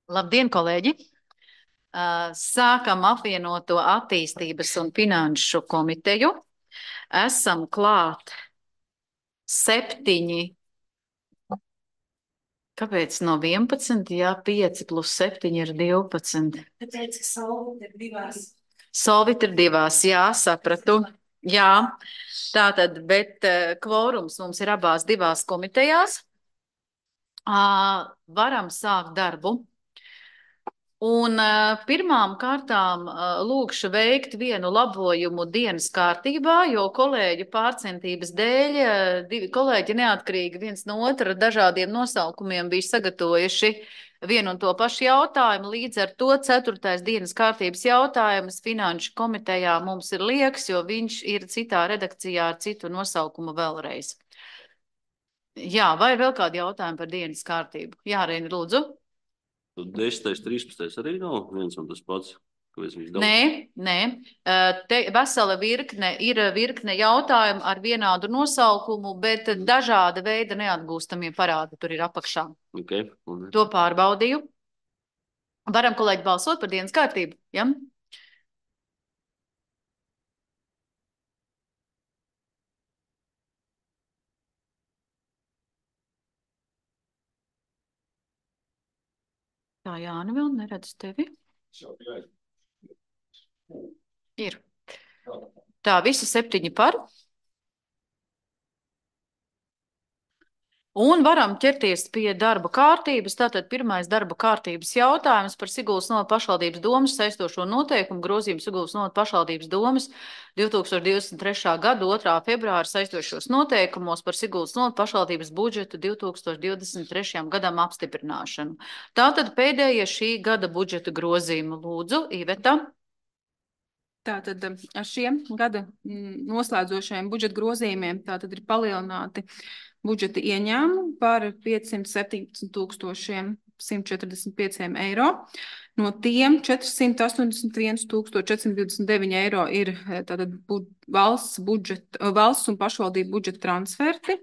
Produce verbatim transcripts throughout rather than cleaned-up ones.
Labdien, kolēģi! Uh, Sākam apvienoto attīstības un finanšu komiteju. Esam klāt septiņi. Kāpēc no vienpadsmit? Jā, pieci plus septiņi ir divpadsmit. Tāpēc, ka Solvit ir divās. Solvit ir divās, jā, sapratu. Jā, tātad, bet uh, kvorums mums ir abās divās komitejās. Uh, varam sākt darbu. Un uh, pirmām kārtām uh, lūkšu veikt vienu labojumu dienas kārtībā, jo kolēģu pārcentības dēļ uh, divi kolēģi neatkarīgi viens no otra dažādiem nosaukumiem bija sagatavojuši vienu un to pašu jautājumu. Līdz ar to ceturtais dienas kārtības jautājums finanšu komitejā mums ir liekas, jo viņš ir citā redakcijā ar citu nosaukumu vēlreiz. Jā, vai ir vēl kādi jautājumi par dienas kārtību? Jā, Reini, lūdzu. desmitais, trīspadsmitais arī nav viens un tas pats. Nē, nē. Te vesela virkne ir virkne jautājumu ar vienādu nosaukumu, bet dažāda veida neatgūstamie parādi tur ir apakšā. Okay. Un... To pārbaudīju. Varam, kolēģi, balsot par dienas kārtību? Ja? Tā, Jāni, vēl neredz tevi. Ir. Tā, visi septiņi par. Un varam ķerties pie darba kārtības. Tātad pirmais darba kārtības jautājums par Siguldas novada pašvaldības domas saistošo noteikumu grozījumu Siguldas novada pašvaldības domas divi tūkstoši divdesmit trešā gada otrā februāra saistošos noteikumos par Siguldas novada pašvaldības budžetu divi tūkstoši divdesmit trešajam gadam apstiprināšanu. Tātad pēdējie šī gada budžeta grozījumi. Lūdzu, Iveta. Tātad ar šiem gada noslēdzošajiem budžeta grozījumiem tātad ir palielināti budžeta ieņēmumi par piecsimt septiņpadsmit tūkstošiem simt četrdesmit pieciem eiro. No tiem četrsimt astoņdesmit viens tūkstoši četrsimt divdesmit deviņi eiro ir tātad bu, valsts, budžeta, valsts un pašvaldību budžeta transferti,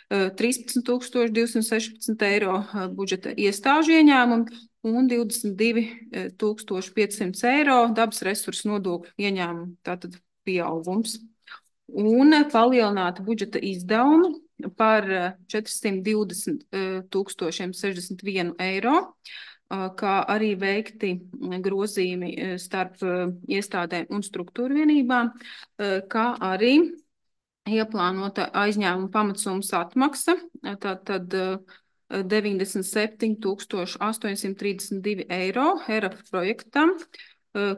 trīspadsmit tūkstoši divsimt sešpadsmit eiro budžeta iestāžu ieņēmumi un divdesmit divi tūkstoši piecsimt eiro dabas resursu nodokļu ieņēmumu, tātad pieaugums. Un palielināta budžeta izdevumi par četrsimt divdesmit tūkstošiem sešdesmit vienu eiro, kā arī veikti grozījumi starp iestādēm un struktūra vienībām, kā arī ieplānota aizņēmuma pamatsummas atmaksa, tātad deviņdesmit septiņi tūkstoši astoņsimt trīsdesmit divi eiro E R A F projektam,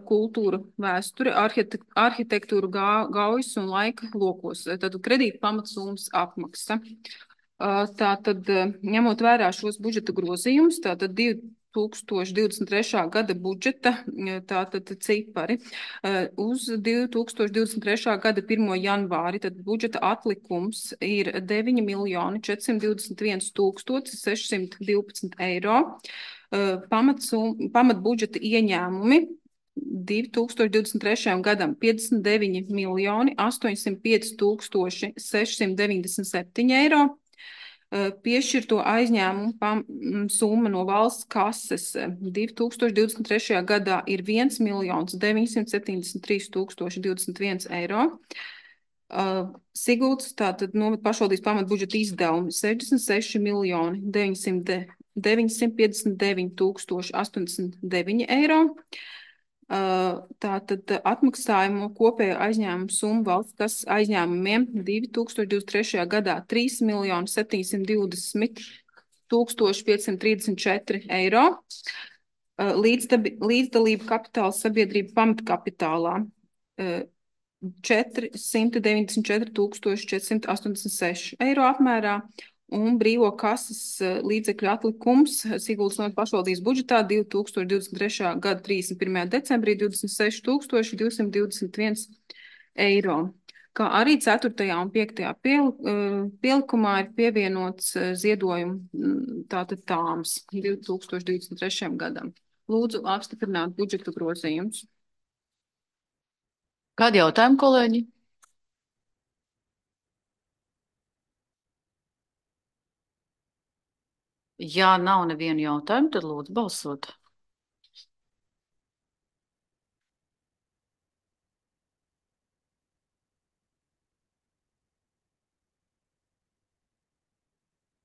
kultūra, vēsture, arhitektūra, gaujas un laika lokos. Tad kredīta pamatsummas apmaksa. Tātad, ņemot vērā šos budžeta grozījumus, tātad divi tūkstoši divdesmit trešā gada budžeta tātad cipari uz divi tūkstoši divdesmit trešā gada pirmo janvāri, tad budžeta atlikums ir deviņi miljoni četrsimt divdesmit viens tūkstoši sešsimt divpadsmit eiro, pamatsum, pamat budžeta ieņēmumi divi tūkstoši divdesmit trešajam gadam piecdesmit deviņi miljoni astoņsimt pieci tūkstoši sešsimt deviņdesmit septiņi eiro, piešķirto aizņēmumu summa no valsts kases divi tūkstoši divdesmit trešajā gadā ir viens miljons deviņsimt septiņdesmit trīs tūkstoši divdesmit viens eiro. Siguldas, tātad novada pašvaldības pamatbudžeta izdevumi sešdesmit seši miljoni deviņsimt piecdesmit deviņi tūkstoši astoņdesmit deviņi eiro. Tātad atmaksājumu kopējo aizņēmumu summu valsts kas aizņēmumiem divi tūkstoši divdesmit trešajā gadā trīs miljoni septiņsimt divdesmit tūkstoši piecsimt trīsdesmit četri eiro. Līdzdalība kapitāla sabiedrība pamatkapitālā četrsimt deviņdesmit četri tūkstoši četrsimt astoņdesmit seši eiro apmērā. Un brīvo kases līdzekļu atlikums Siguldas novada pašvaldības budžetā divi tūkstoši divdesmit trešā gada trīsdesmit pirmajā decembrī divdesmit seši tūkstoši divsimt divdesmit viens eiro. Kā arī ceturtajā un piektajā pielikumā ir pievienots ziedojumu tātad tāms divi tūkstoši divdesmit trešajam gadam. Lūdzu apstiprināt budžeta grozījumus. Kādi jautājumi, kolēģi? Ja nav nevienu jautājumu, tad lūdzu balsot.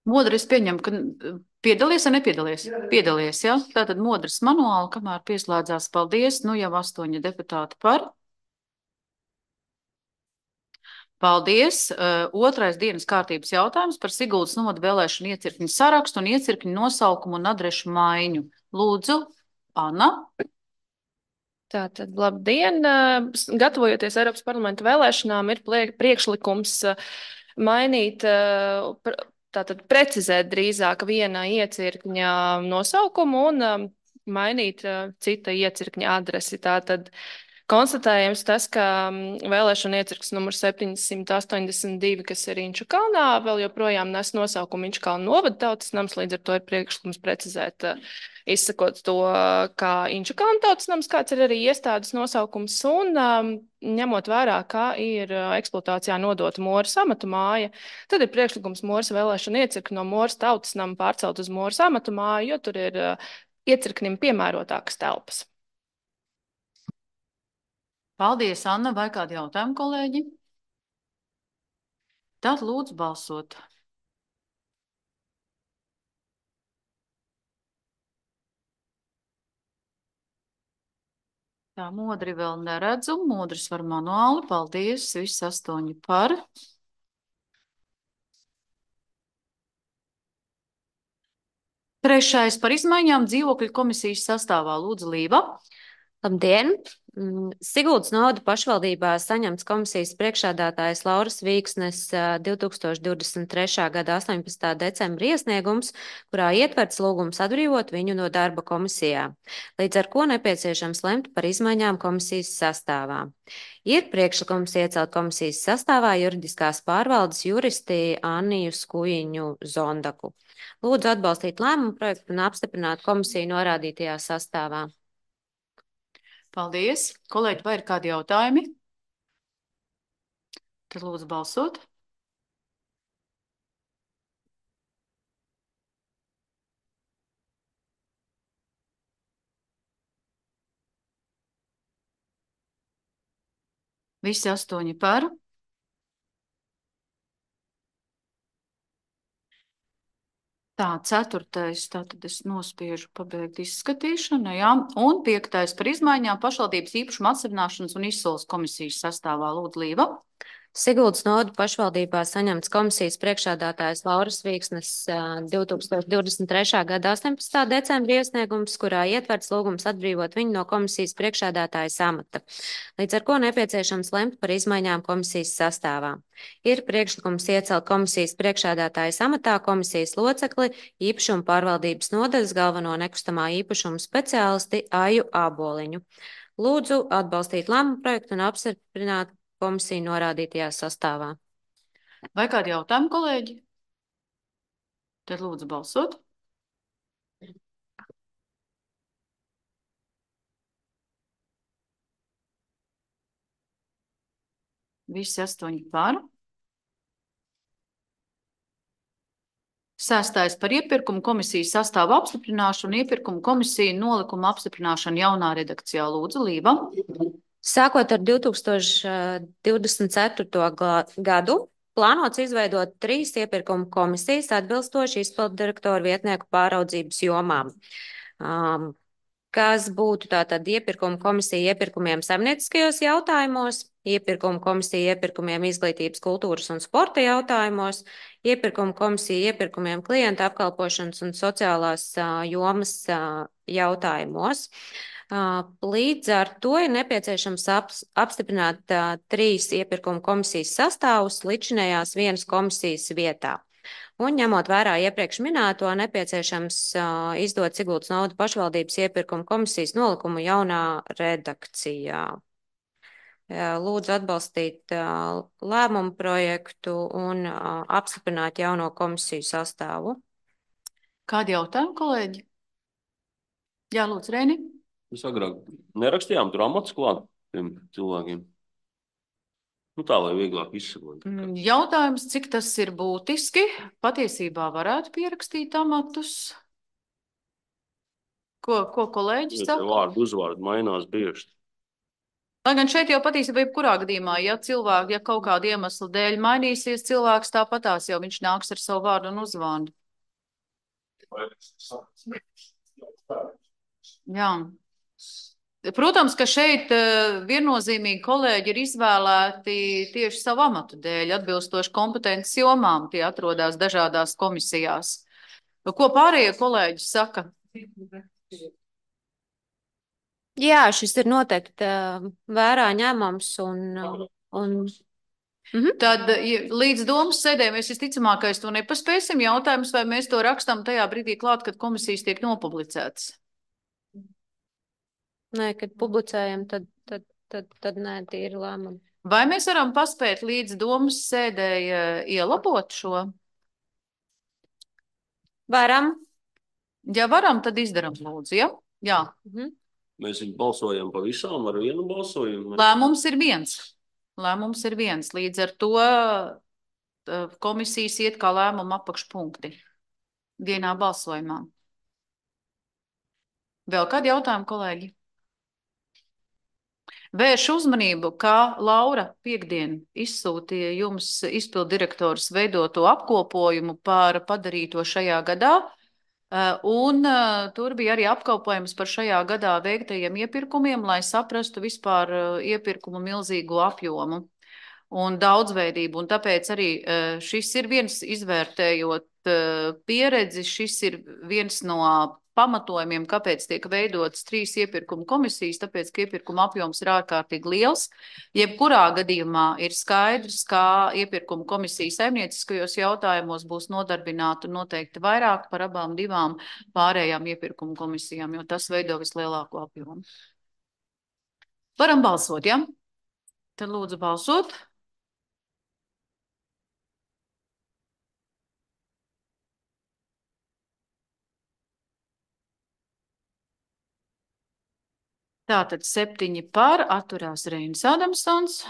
Modris pieņem, ka piedalies vai nepiedalies? Piedalies, jā. Tātad Modris manuāli, kamēr pieslēdzās, paldies. Nu jau astoņi deputāti par. Paldies. Uh, otrais dienas kārtības jautājums par Siguldas novada vēlēšanu iecirkņu sarakstu un iecirkņu nosaukumu un adrešu maiņu. Lūdzu, Anna. Tātad, labdien! Gatavojoties Eiropas parlamenta vēlēšanām, ir priekšlikums mainīt, tātad precizēt drīzāk viena iecirkņa nosaukumu un mainīt cita iecirkņa adresi. Tātad konstatējams tas, ka vēlēšana iecirknis numurs septiņsimt astoņdesmit divi, kas ir Inču kalnā, vēl joprojām nes nosaukumu Inču kalna novada tautas nams, līdz ar to ir priekšlikums precizēt, izsakot to kā Inču kalna tautas nams, kāds ir arī iestādes nosaukums, un ņemot vērā, kā ir eksploatācijā nodota Moras amatu māja, tad ir priekšlikums Moras vēlēšana iecirkni no Moras tautas nama pārcelt uz Moras amatu māju, jo tur ir iecirknim piemērotākas telpas. Paldies, Anna. Vai kādi jautājumi, kolēģi? Tad lūdzu balsot. Tā, Modri vēl neredzu. Modris var manuāli. Paldies. Visi astoņi par. Trešais par izmaiņām dzīvokļu komisijas sastāvā. Lūdzu, Līva. Labdien! Siguldas novada pašvaldībā saņemts komisijas priekšsēdētājas Lauras Vīksnes divi tūkstoši divdesmit trešā gada astoņpadsmitā decembra iesniegums, kurā ietverts lūgums atbrīvot viņu no darba komisijā, līdz ar ko nepieciešams lemt par izmaiņām komisijas sastāvā. Ir priekšlikums iecelt komisijas sastāvā juridiskās pārvaldes juristi Anniju Skujiņu Zondaku. Lūdzu atbalstīt lēmumu projektu un apstiprināt komisiju norādītajā sastāvā. Paldies. Kolēģi, vai ir kādi jautājumi? Tad lūdzu balsot. Visi astoņi par. Tā, ceturtais, tātad es nospiežu pabeigt izskatīšanu, jā. Un piektais par izmaiņām pašvaldības īpašuma atsevināšanas un izsoles komisijas sastāvā. Lūdzu, Līva. Siguldas novada pašvaldībā saņemts komisijas priekšsēdētājas Lauras Vīksnes divi tūkstoši divdesmit trešā gada astoņpadsmitā decembra iesniegums, kurā ietverts lūgums atbrīvot viņu no komisijas priekšsēdētājas amata, līdz ar ko nepieciešams lemt par izmaiņām komisijas sastāvā. Ir priekšlikums iecelt komisijas priekšsēdētājas amatā komisijas locekli īpašuma pārvaldības nodaļas galveno nekustamā īpašuma speciālisti Aju Āboliņu. Lūdzu atbalstīt lēmumu projektu un apstiprināt komisiju norādītajā sastāvā. Vai kādi jautājumi, kolēģi? Tad lūdzu balsot. Visi astoņi par. Sestais par iepirkumu komisijas sastāvu apstiprināšanu, iepirkumu komisiju nolikumu apstiprināšanu jaunā redakcijā. Lūdzu, Līva. Sākot ar divi tūkstoši divdesmit ceturto gadu, plānots izveidot trīs iepirkumu komisijas atbilstoši izpildu direktoru vietnieku pāraudzības jomām, um, kas būtu tātad iepirkumu komisija iepirkumiem saimnieciskajos jautājumos, iepirkumu komisija iepirkumiem izglītības, kultūras un sporta jautājumos, iepirkumu komisija iepirkumiem klienta apkalpošanas un sociālās uh, jomas uh, jautājumos. Līdz ar to ir nepieciešams apstiprināt uh, trīs iepirkuma komisijas sastāvus līdzinējās vienas komisijas vietā. Un ņemot vērā iepriekš minēto, nepieciešams uh, izdot Siguldas novada pašvaldības iepirkuma komisijas nolikumu jaunā redakcijā. Uh, lūdzu atbalstīt uh, lēmumu projektu un uh, apstiprināt jauno komisiju sastāvu. Kādi jautājumi, kolēģi? Jā, lūdzu, Reini. Mēs agrāk nerakstījām tur amats klāt tiem cilvēkiem. Nu tā, lai vieglāk izsakot. Jautājums, cik tas ir būtiski? Patiesībā varētu pierakstīt amatus. Ko, ko kolēģis saka? Vārdu uzvārdu mainās bieži. Lai gan šeit jau patiesībā jebkurā gadījumā, ja cilvēki, ja kaut kāda iemesla dēļ mainīsies, cilvēks tāpatās jau viņš nāks ar savu vārdu un uzvārdu. Jā. Protams, ka šeit viennozīmīgi kolēģi ir izvēlēti tieši savu amatu dēļ, atbilstoši kompetences jomām, tie atrodas dažādās komisijās. Ko pārējie kolēģi saka? Jā, šis ir noteikti vērā ņemams un, un mhm. Tad līdz domas sēdē mēs visticamākais to nepaspēsim. Jautājums, vai mēs to rakstam tajā brīdī klāt, kad komisijas tiek nopublicētas? Nē, kad publicējam, tad, tad, tad, tad nē, tie ir lēmumi. Vai mēs varam paspēt līdz domas sēdēji ielabot šo? Varam. Ja varam, tad izdaram lūdzu, ja? Jā. Mhm. Mēs balsojam pa visām ar vienu balsojumu. Lēmums ir viens. Lēmums ir viens. Līdz ar to komisijas iet kā lēmuma apakšpunkti vienā balsojumā. Vēl kādi jautājumi, kolēģi? Vēršu uzmanību, ka Laura piekdien izsūtīja jums izpildirektors veidoto apkopojumu par padarīto šajā gadā, un tur bija arī apkalpojums par šajā gadā veiktajiem iepirkumiem, lai saprastu vispār iepirkumu milzīgo apjomu un daudzveidību, un tāpēc arī šis ir viens izvērtējot pieredzi, šis ir viens no pamatojumiem, kāpēc tiek veidotas trīs iepirkuma komisijas, tāpēc, ka iepirkuma apjoms ir ārkārtīgi liels. Jebkurā gadījumā ir skaidrs, ka iepirkuma komisija saimnieciskajos jautājumos būs nodarbināta noteikti vairāk par abām divām pārējām iepirkuma komisijām, jo tas veido vislielāko apjomu. Varam balsot, ja? Tad lūdzu balsot. Tātad septiņi par, atturās Reinis Adamsons.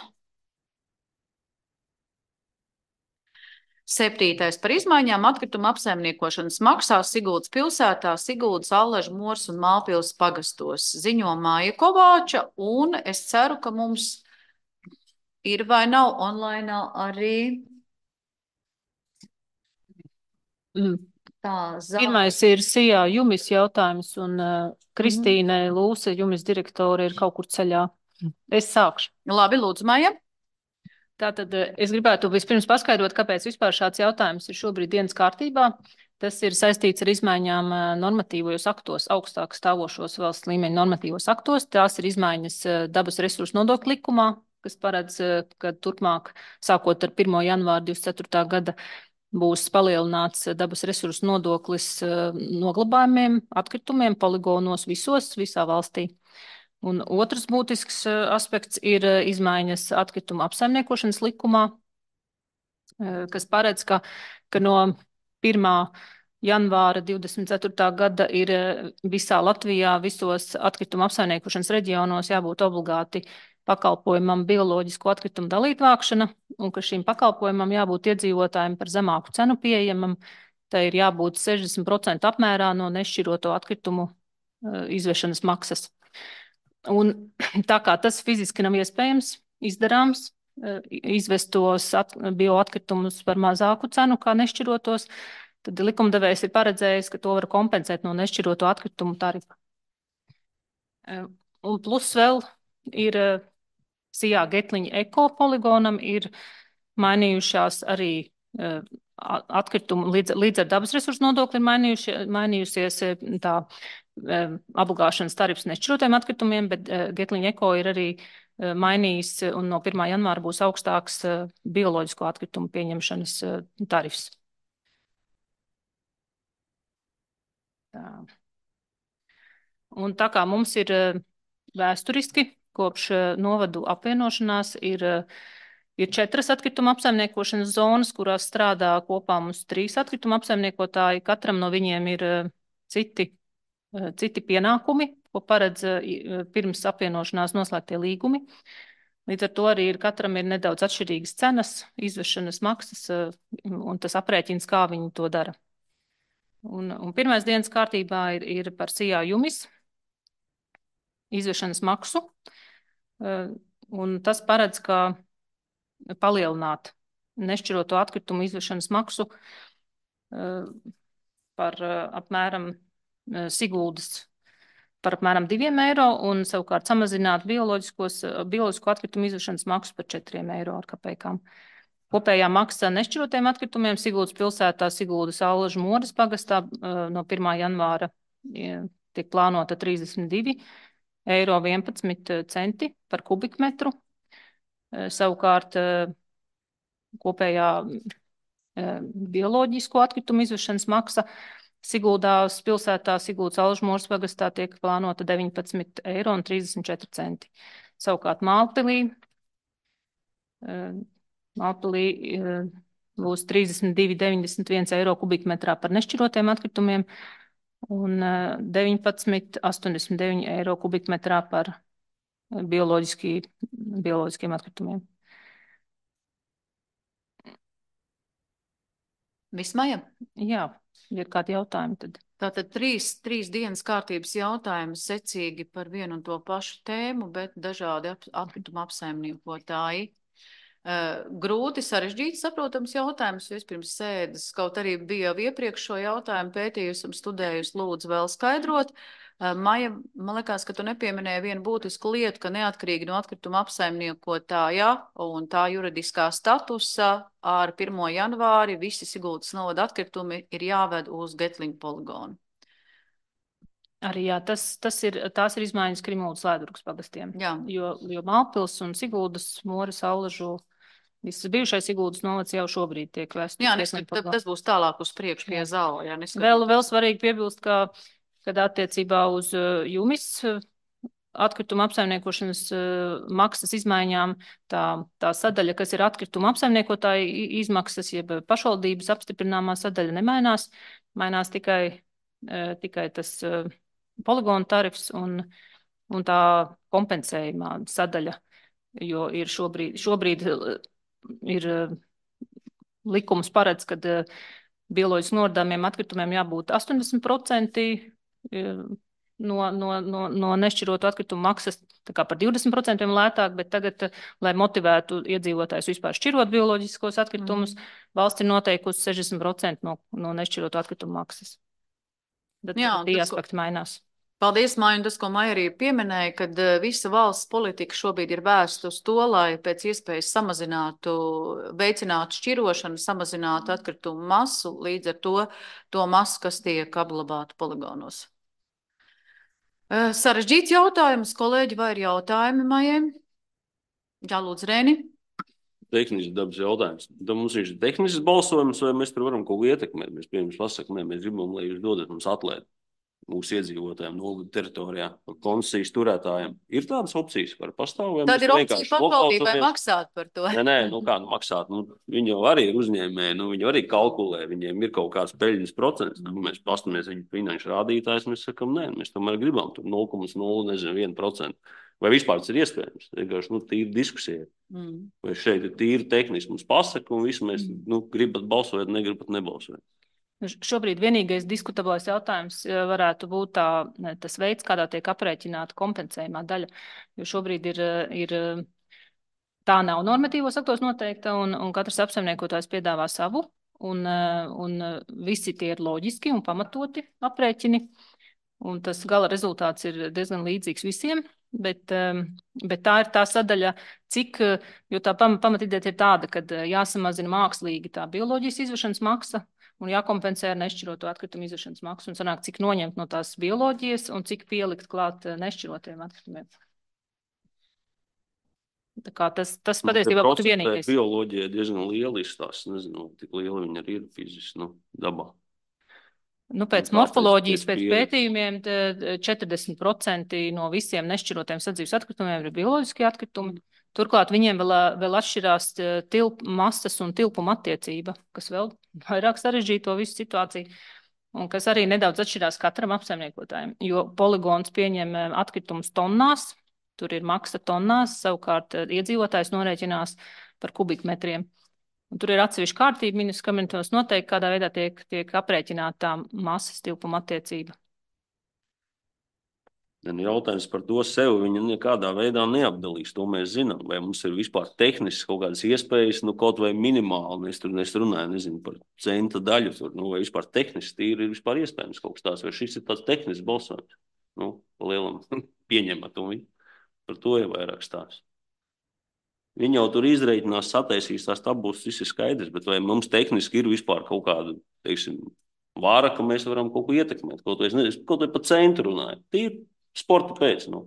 Septītais par izmaiņām atkrituma apsaimniekošanas maksā Siguldas pilsētā, Siguldas, Allažu, Mors un Mālpils pagastos. Ziņo Māja Kovāča, un es ceru, ka mums ir vai nav online arī mm. tā zāle. Pirmais ir Sijā Jumis jautājums, un uh, Kristīne mm. Lūse, Jumis direktore, ir kaut kur ceļā. Es sākšu. Labi, lūdzu, Maija. Tātad es gribētu vispirms paskaidrot, kāpēc vispār šāds jautājums ir šobrīd dienas kārtībā. Tas ir saistīts ar izmaiņām normatīvos aktos, augstāk stāvošos valsts līmeņa normatīvos aktos. Tās ir izmaiņas dabas resursu nodokļu likumā, kas paredz, ka turpmāk, sākot ar pirmo janvāru divdesmit ceturtā gada, būs palielināts dabas resursu nodoklis noglabājumiem, atkritumiem, poligonos visos, visā valstī. Un otrs būtisks aspekts ir izmaiņas atkrituma apsaimniekošanas likumā, kas paredz, ka, ka no pirmā janvāra divdesmit ceturtā gada ir visā Latvijā, visos atkrituma apsaimniekošanas reģionos jābūt obligāti pakalpojumam bioloģisko atkritumu dalītvākšana, un ka šīm pakalpojumam jābūt iedzīvotājiem par zemāku cenu pieejamam. Tā ir jābūt sešdesmit procentu apmērā no nešķiroto atkritumu izvešanas maksas. Un tā kā tas fiziski nav iespējams, izdarāms, izvest tos bioatkritumus par mazāku cenu kā nešķirotos, tad likumdevējs ir paredzējis, ka to var kompensēt no nešķiroto atkritumu tarifa. Un plus vēl ir Sijā Getliņa eko poligonam ir mainījušās arī atkritumu, līdz, līdz ar dabas resursu nodokli ir mainījuši, mainījusies tā apgāšanas tarifs nešķirotiem atkritumiem, bet Getliņa eko ir arī mainījis un no pirmā janvāra būs augstāks bioloģisko atkritumu pieņemšanas tarifs. Tā. Un tā kā mums ir vēsturiski kopš novadu apvienošanās ir, ir četras atkrituma apsaimniekošanas zonas, kurās strādā kopā mums trīs atkrituma apsaimniekotāji. Katram no viņiem ir citi, citi pienākumi, ko paredz pirms apvienošanās noslēgtie līgumi. Līdz ar to arī ir, katram ir nedaudz atšķirīgas cenas, izvešanas maksas un tas aprēķins, kā viņi to dara. Un, un pirmais dienas kārtībā ir, ir par Sijā Jumis izvešanas maksu. un tas paredz, ka palielināt nešķiroto atkritumu izvešanas maksu par apmēram Siguldas par apmēram diviem eiro un savukārt samazināt bioloģisko atkritumu izvešanas maksu par četriem eiro ar kapekām. Kopējā maksa nešķirotiem atkritumiem Siguldas pilsētā, Siguldas Allažu Moras pagastā no pirmā janvāra tiek plānota trīsdesmit divi eiro vienpadsmit centi par kubikmetru. Savukārt kopējā bioloģisko atkritumu izvešanas maksa Siguldas pilsētā, Siguldas Allažu Moras pagastā tiek plānota deviņpadsmit eiro un trīsdesmit četri centi. Savukārt Mālpilī Mālpilī būs trīsdesmit divi deviņdesmit viens eiro kubikmetrā par nešķirotiem atkritumiem un deviņpadsmit astoņdesmit deviņi eiro kubikmetrā par bioloģiski, bioloģiskiem atkritumiem. Viss, Maija? Jā, ir kādi jautājumi tad. Tātad trīs, trīs dienas kārtības jautājumi secīgi par vienu un to pašu tēmu, bet dažādi atkrituma apsaimniekotāji. Uh, grūti, sarežģīti saprotams jautājums, jo es pirms sēdes, kaut arī bija jau iepriekš šo jautājumu pētījusi un studējusi, lūdzu vēl skaidrot. Uh, Maija, man liekas, ka tu nepieminēji vienu būtisku lietu, ka neatkarīgi no atkrituma apsaimniekotāja un tā juridiskā statusa ar pirmo janvāri visi Siguldas novada atkritumi ir jāved uz Getliņu poligonu. Arī jā, tas, tas ir, tās ir izmaiņas Krimuldas Lēdurgas pagastiem, Jā. jo, jo Mālpils un Siguldas, Moras, Allažu, visas bijušais Siguldas novads jau šobrīd tiek vēsts. Jā, nes, tas būs tālāk uz priekšu pie zāla. Jā, vēl, vēl svarīgi piebilst, ka, kad attiecībā uz Jumis atkrituma apsaimniekošanas maksas izmaiņām, tā, tā sadaļa, kas ir atkrituma apsaimniekotāji izmaksas, jeb pašvaldības apstiprināmā sadaļa nemainās, mainās tikai, tikai tas poligonu tarifs un, un tā kompensējumā sadaļa, jo ir šobrīd, šobrīd ir likums paredz, kad bioloģiski nodāmiem atkritumiem jābūt astoņdesmit procenti no, no, no, no nešķirotu atkritumu maksas, tā kā par divdesmit procentiem lētāk, bet tagad, lai motivētu iedzīvotājus vispār šķirot bioloģiskos atkritumus, mm. valsts ir noteikusi sešdesmit procenti no, no nešķirotu atkritumu maksas. Tad Jā, tie aspekti mainās. Paldies, Maija, un tas, ko Maija arī pieminēja, kad visa valsts politika šobrīd ir vērsta uz to, lai pēc iespējas samazinātu, veicinātu šķirošanu, samazinātu atkritumu masu, līdz ar to, to masu, kas tiek apglabāta poligonos. Sarežģīts jautājums, kolēģi, vai ir jautājumi Maijai? Jā, lūdzu, Rēni. Tehnisks dabas jautājums. Tad mums ir tehnisks balsojums, vai mēs tur varam kaut ko ietekmēt? Mēs, piemēram, pasakām, nē, mēs gribam, lai jūs dodat mums atlēt mūsu iedzīvotājiem, nogadu teritorijā, koncesijas turētājiem. Ir tādas opcijas, var pastāvēt? Tad ir opcija pašvaldībai maksāt par to. Nē, nē, nu kā nu maksāt? Nu, viņi jau arī ir uzņēmēji, nu viņi arī kalkulē, viņiem ir kaut kāds peļņas procents. Nu, mēs pastamies viņu finanšu rādītājs, mēs sakam, nē, mēs tomēr gribam tur nulle komats nulle viens procents. Vai vispār tas ir iespējams? Vienkārši, nu, tīri diskusija. Mm. Vai šeit ir tīri tehniski mums pasaka, un visi mēs, mm. nu, gribat balsot, negribat nebalsot. Šobrīd vienīgais diskutablais jautājums varētu būt tā, tas veids, kādā tiek aprēķināta kompensējumā daļa. Jo šobrīd ir, ir tā nav normatīvos aktos noteikta, un, un katrs apsaimniekotājs piedāvā savu, un, un visi tie ir loģiski un pamatoti aprēķini. Un tas gala rezultāts ir diezgan līdzīgs visiem, bet, bet tā ir tā sadaļa, cik, jo tā pamatideja ir tāda, ka jāsamazina mākslīgi tā bioloģijas izvešanas maksa un jākompensē ar nešķiroto atkritumu izvešanas maksu un sanāk, cik noņemt no tās bioloģijas un cik pielikt klāt nešķirotiem atkritumiem. Tā kā tas, tas patiesībā būtu vienīgais. Bioloģija diezgan liela izstās, nezinu, tik liela viņa arī ir fiziski, nu, dabā. Nu, pēc morfoloģijas, pēc pētījumiem četrdesmit procenti no visiem nešķirotiem sadzīves atkritumiem ir bioloģiskie atkritumi. Turklāt viņiem vēl, vēl atšķirās tilp, masas un tilpuma attiecība, kas vēl vairāk sarežģīja to visu situāciju, un kas arī nedaudz atšķirās katram apsaimniekotājiem, jo poligons pieņem atkritumus tonnās, tur ir maksa tonnās, savukārt iedzīvotājs norēķinās par kubikmetriem. Un tur ir atsevišķa kārtība, ministrs kabinetos noteikti, kādā veidā tiek, tiek aprēķināta tā masas tilpuma attiecība. Nu, jautājums par to sev viņa nekādā veidā neapdalīs. To mēs zinām. Vai mums ir vispār tehniski kaut kādas iespējas, nu, kaut vai minimāli. Es tur es runāju, nezinu, par centa daļu. Tur, nu, vai vispār tehniski tīri ir vispār iespējams kaut kas tāds. Vai šis ir tāds tehnisks balsojums? Nu, pa lielam pieņemat un viņi. Par to ir vairāk stāsts. Viņi jau tur izreikinās, sataisīs tās tabūs, viss ir skaidrs. Bet vai mums tehniski ir vispār kaut kāda, teiksim, vāra, ka mēs varam kaut ko ietekmēt? Kaut vai, nezinu, kaut vai pa centru runāju. Tīri sporta pēc, nu.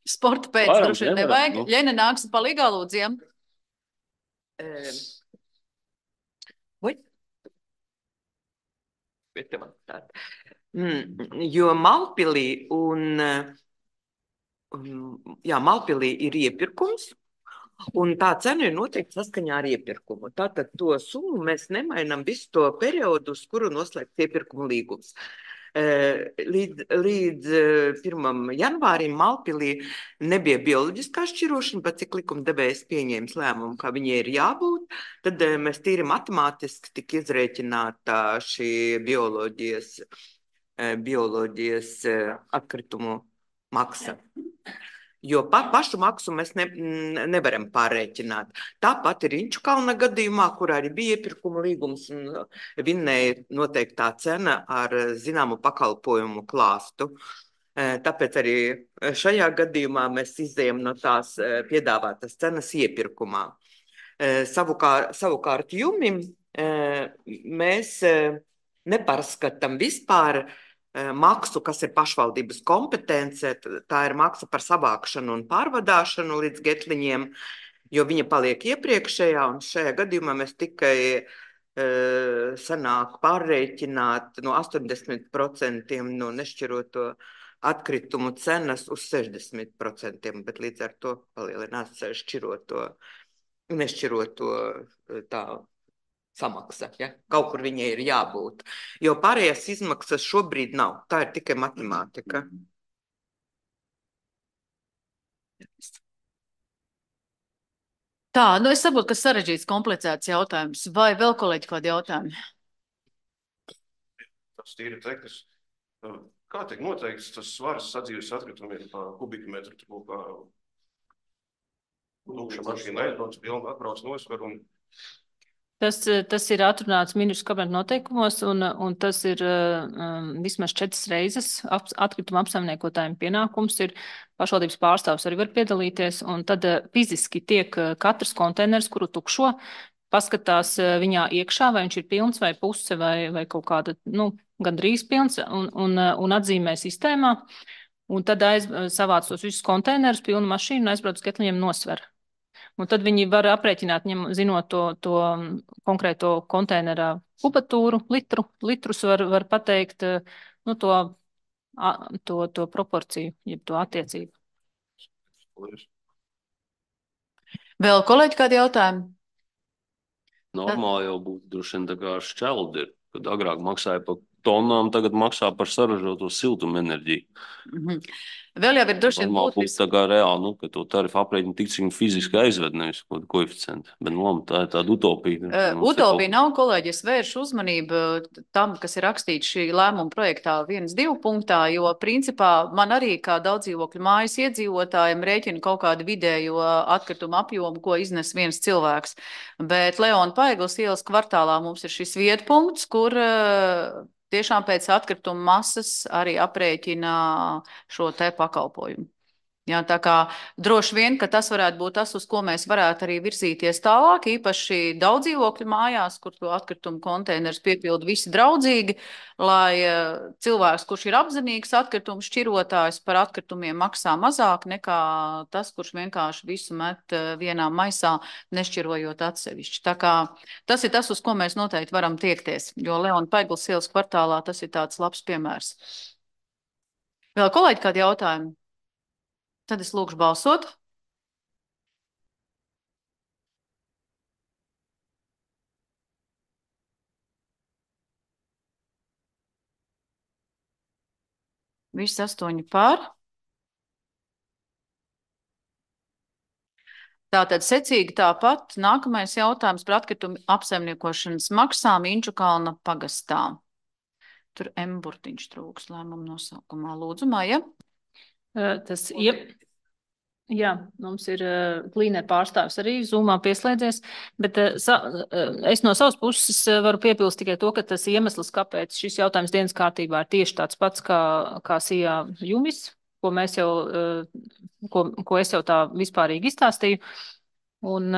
Sporta pēc, Varam, droši vien nevaram, nevajag. nu. Ļena nāks palīgā, lūdziem. Um, Oi? Bet tev tāda. Mm, jo Malpilī un, um, jā, Malpilī ir iepirkums, un tā cena ir noteikti saskaņā ar iepirkumu. Tātad to summu mēs nemainām visu to periodu, uz kuru noslēgts iepirkuma līgums. Līdz, līdz pirmam janvārim Malpilī nebija bioloģiskā šķirošana, pat cik likumdevējs pieņēmis lēmumu, kā viņai ir jābūt, tad mēs tīri matemātiski tika izrēķināta šī bioloģijas, bioloģijas atkritumu maksa. Jo pa, pašu maksu mēs ne, nevaram pārrēķināt. Tāpat ir Inčukalna gadījumā, kurā arī bija iepirkuma līgums un vinnēja noteiktā cena ar zināmu pakalpojumu klāstu. Tāpēc arī šajā gadījumā mēs izējam no tās piedāvātas cenas iepirkumā. Savukārt, savukārt jumim mēs nepārskatām vispār maksu, kas ir pašvaldības kompetence, tā ir maksa par savākšanu un pārvadāšanu līdz getliņiem, jo viņa paliek iepriekšējā, un šajā gadījumā mēs tikai uh, sanāk pārreikināt no astoņdesmit procentiem no nešķiroto atkritumu cenas uz sešdesmit procentiem, bet līdz ar to palielinās šķiroto, nešķiroto tā samaksa, ja? Kaut kur viņai ir jābūt. Jo pārējās izmaksas šobrīd nav. Tā ir tikai matemātika. Tā, nu es saprotu, ka sarežģīts, komplicēts jautājums. Vai vēl kolēģi kādi jautājumi? Tas tīri teknis. Kā tiek noteikts tas svars sadzīves atkritumiem pa kubikmetru? Tur kā lūkša mašīna aizbrauc, pilna atbrauc nosver un Tas, tas ir atrunāts ministru kabineta noteikumos, un, un tas ir um, vismaz četras reizes ap, atkrituma apsaimniekotājiem pienākums. Ir pašvaldības pārstāvs arī var piedalīties, un tad uh, fiziski tiek uh, katrs konteiners, kuru tukšo, paskatās uh, viņā iekšā, vai viņš ir pilns vai puse vai, vai kaut kāda, nu, gandrīz pilns, un, un, uh, un atzīmē sistēmā. Un tad aiz, savāc tos visus konteinerus, pilnu mašīnu, aizbrauc uz getliņiem nosver. Un tad viņi var aprēķināt, ņem, zinot to, to konkrēto konteinerā kubatūru, litru, litrus var, var pateikt, nu, to, to, to proporciju, jeb to attiecību. Vēl kolēģi kādi jautājumi? Normāli jau būtu droši vien tā kā šķeldi, kad agrāk maksāja par tonām, tagad maksā par saražoto siltumenerģiju. Mhm. Vēl jau ir droši vien Normāli būtu būtiski. tā kā reāli, nu, ka to tarifu aprēķina tik, cik viņi fiziski aizved, nevis kaut koeficienti. Bet, nu, tā ir tāda utopija. Uh, utopija nav, kolēģi, es vēršu uzmanību tam, kas ir rakstīts šī lēmuma projektā viens divi punktā, jo principā man arī kā daudzdzīvokļu mājas iedzīvotājiem rēķina kaut kādu vidējo atkritumu apjomu, ko iznes viens cilvēks. Bet Leona Paigles ielas kvartālā mums ir šis vietpunkts, kur uh, tiešām pēc atkrituma masas arī aprēķina šo te pakalpojumu. Jā, tā kā droši vien, ka tas varētu būt tas, uz ko mēs varētu arī virzīties tālāk, īpaši daudzdzīvokļu mājās, kur to atkritumu konteinerus piepilda visi draudzīgi, lai cilvēks, kurš ir apzinīgs atkritumu šķirotājs, par atkritumiem maksā mazāk nekā tas, kurš vienkārši visu met vienā maisā, nešķirojot atsevišķi. Tā kā tas ir tas, uz ko mēs noteikti varam tiekties, jo Leona Paigles ielas kvartālā tas ir tāds labs piemērs. Vēl kolēģi kādi jautājumi? Tad es lūkšu balsot. Visi astoņi pār. Tātad secīgi tāpat nākamais jautājums par atkritumu apsaimniekošanas maksām Inčukalna pagastā. Tur M burtiņš trūks lēmumu nosaukumā. Lūdzu, Maija. Tas, ja, jā, mums ir klīnera pārstāvis arī Zoomā pieslēdzies, bet sa, es no savas puses varu piepilst tikai to, ka tas iemesls, kāpēc šis jautājums dienas kārtībā ir tieši tāds pats kā, kā Sijā Jumis, ko mēs jau, ko, ko es jau tā vispārīgi izstāstīju. Un,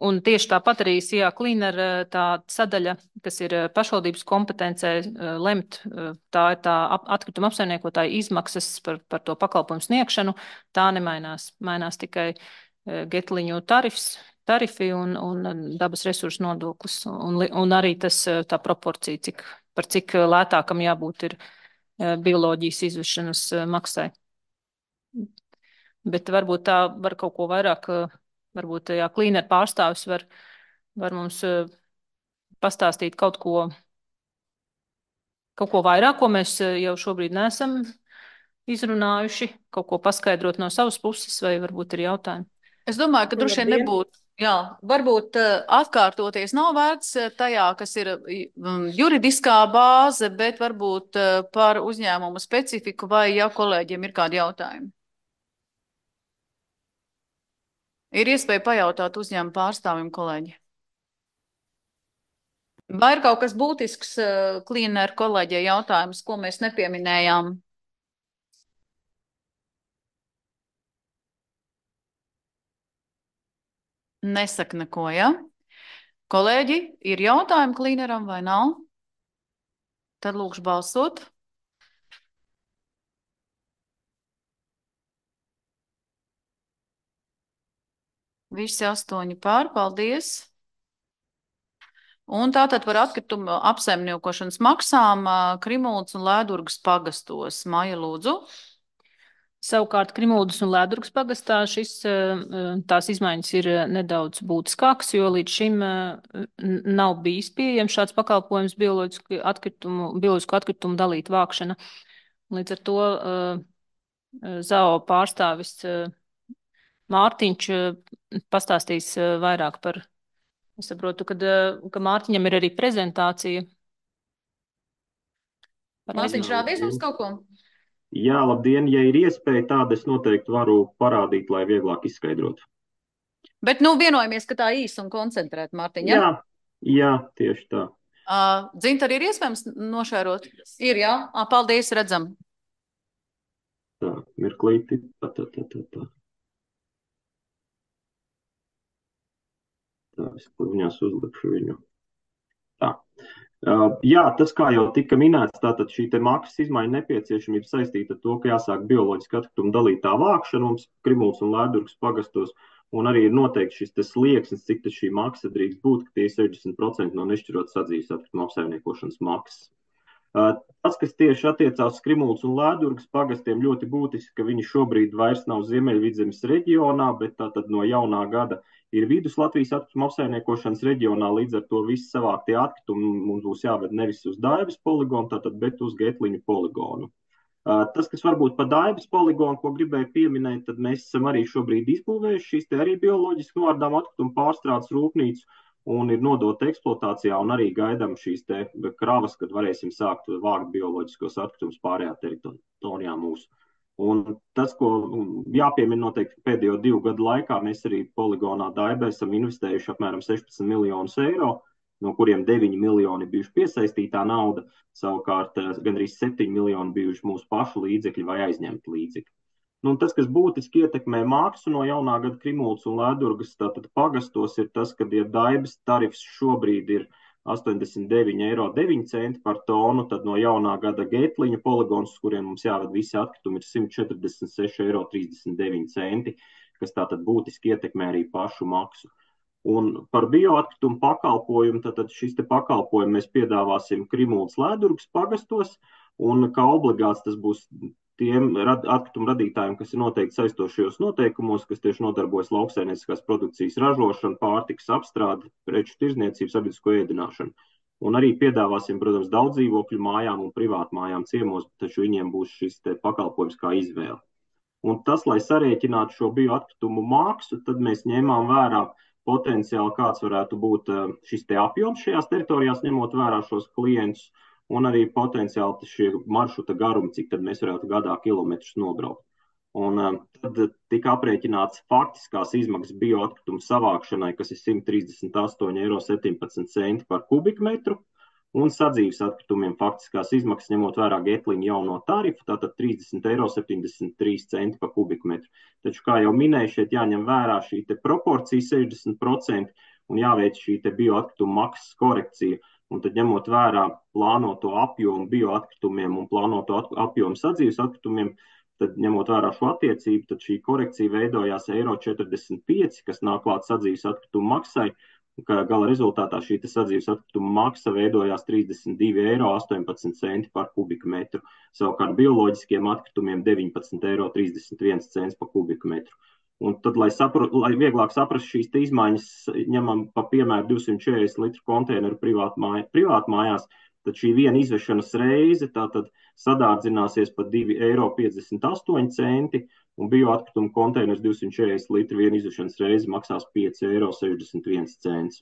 un tieši tāpat arī Sijā Klīnera tā sadaļa, kas ir pašvaldības kompetencē lemt, tā ir tā atkrituma apsaimniekotāja izmaksas par, par to pakalpojumu sniegšanu, tā nemainās. Mainās tikai getliņu tarifs, tarifi un, un dabas resursu nodoklis. Un, un arī tas tā proporcija, cik, par cik lētākam jābūt ir bioloģijas izvešanas maksai. Bet varbūt tā var kaut ko vairāk. Varbūt jā, klīnera pārstāvis var, var mums uh, pastāstīt kaut ko, kaut ko vairāk, ko mēs jau šobrīd neesam izrunājuši, kaut ko paskaidrot no savas puses, vai varbūt ir jautājumi. Es domāju, ka droši vien nebūtu, jā, varbūt uh, atkārtoties nav vērts tajā, kas ir um, juridiskā bāze, bet varbūt uh, par uzņēmumu specifiku, vai ja kolēģiem ir kādi jautājumi. Ir iespēja pajautāt uzņēmumu pārstāvim, kolēģi. Vai ir kaut kas būtisks klīneru kolēģiem jautājums, ko mēs nepieminējām? Nesaka neko, ja? Kolēģi, ir jautājumi klīneram vai nav? Tad lūkšu balsot. Visi astoņi pār, paldies. Un tātad par atkritumu apsaimniekošanas maksām Krimuldas un Lēdurgas pagastos. Maija, lūdzu. Savukārt Krimuldas un Lēdurgas pagastā šis, tās izmaiņas ir nedaudz būtiskākas, jo līdz šim nav bijis pieejams šāds pakalpojums bioloģisku atkritumu, bioloģisku atkritumu dalīt vākšana. Līdz ar to Z A O pārstāvis Mārtiņš pastāstīs vairāk par, es saprotu, kad, ka Mārtiņam ir arī prezentācija. Mārtiņš, rādīs mums kaut ko? Jā, labdien, ja ir iespēja tāda, es noteikti varu parādīt, lai vieglāk izskaidrotu. Bet, nu, vienojamies, ka tā īsi un koncentrēt, Mārtiņ, ja? Jā, jā, tieši tā. Uh, Dzint, arī ir iespējams nošērot? Ir, jā? À, paldies, redzam. Tā, mirklīti, tā, tā, tā, tā, tā. Tā, es viņās uzlikšu viņu. Tā. Uh, jā, tas kā jau tika minēts, tātad šī te maksas izmaiņa nepieciešamība saistīta ar to, ka jāsāk bioloģiski atkritumu dalītā vākšana mums Krimuldas un Lēdurgas pagastos, un arī ir noteikti šis te slieksnis, cik tas šī maksa drīkst būt, ka tie ir sešdesmit procenti no nešķirot sadzīves atkritumu apsaimniekošanas maksas. Uh, tas, kas tieši attiecās Krimuldas un Lēdurgas pagastiem, ļoti būtiski, ka viņi šobrīd vairs nav Ziemeļvidzemes reģionā, bet tātad no jaunā gada ir Vidus Latvijas atkritumu apsaimniekošanas reģionā, līdz ar to visi savāktie atkritumi mums būs jāved nevis uz Daibas poligonu, tātad, bet uz Getliņu poligonu. Uh, tas, kas varbūt pa Daibas poligonu, ko gribēju pieminēt, tad mēs esam arī šobrīd izbūvējuši šīs te arī bioloģiski novārdām atkritumu pārstrādes rūpnīcu, un ir nodota eksploatācijā, un arī gaidām šīs te kravas, kad varēsim sākt vākt bioloģiskos atkritumus pārējā teritorijā mūsu. Un tas, ko jāpiemina noteikti pēdējo divu gadu laikā, mēs arī poligonā Daibē esam investējuši apmēram sešpadsmit miljonus eiro, no kuriem deviņi miljoni bijuši piesaistītā nauda, savukārt gandrīz septiņi miljoni bijuši mūsu pašu līdzekļi vai aizņemti līdzekļi. Nu, tas, kas būtiski ietekmē maksu no jaunā gada Krimuldas un Lēdurgas tātad pagastos, ir tas, ka, ja Daibas tarifs šobrīd ir astoņdesmit deviņi eiro deviņi centi par tonu, tad no jaunā gada Getliņa poligons, uz kuriem mums jāved visi atkritumi, ir simt četrdesmit seši eiro trīsdesmit deviņi centi, kas tātad būtiski ietekmē arī pašu maksu. Un par bioatkritumu pakalpojumu, tātad šis te pakalpojumu mēs piedāvāsim Krimuldas Lēdurgas pagastos, un kā obligāts tas būs tiem rad, atkritumu radītājiem, kas ir noteikti saistošajos noteikumos, kas tieši nodarbojas lauksaimnieciskās produkcijas ražošanu, pārtikas apstrādi, preču tirzniecību, sabiedrisko ēdināšanu. Un arī piedāvāsim, protams, daudz dzīvokļu mājām un privātu mājām ciemos, taču viņiem būs šis te pakalpojums kā izvēle. Un tas, lai sarēķinātu šo bioatkritumu maksu, tad mēs ņēmām vērā potenciāli, kāds varētu būt šis te apjoms šajās teritorijās, ņemot vērā šos klientus, un arī potenciāli šie maršruta garumi, cik tad mēs varētu gadā kilometrus nobraukt. Un uh, tad tika aprēķināts faktiskās izmaksas bioatkritumu savākšanai, kas ir simt trīsdesmit astoņi eiro septiņpadsmit centi par kubikmetru, un sadzīves atkritumiem faktiskās izmaksas ņemot vērā Getlina jauno tarifu, tātad trīsdesmit eiro septiņdesmit trīs centi par kubikmetru. Taču, kā jau minēju, šeit jāņem vērā šī te proporcija sešdesmit procenti un jāveic šī te bioatkritumu maksas korekcija. Un tad ņemot vērā plānoto apjomu bioatkritumiem un plānoto apjomu sadzīves atkritumiem, tad ņemot vērā šo attiecību, tad šī korekcija veidojās eiro četrdesmit pieci, kas nāk klāt sadzīves atkritumu maksai, ka gala rezultātā šī sadzīves atkrituma maksa veidojās trīsdesmit divi eiro astoņpadsmit centi par kubikmetru, savukārt bioloģiskiem atkritumiem deviņpadsmit eiro trīsdesmit viens cents par kubikmetru. Un tad, lai, sapra, lai vieglāk saprast šīs izmaiņas, ņemam pa piemēru divsimt četrdesmit litru konteineru privātmājās, privātmājās, tad šī viena izvešanas reize tātad sadārdzināsies par divi eiro piecdesmit astoņi centi, un bioatkritumu konteiners divsimt četrdesmit litru viena izvešanas reize maksās pieci eiro sešdesmit viens cents.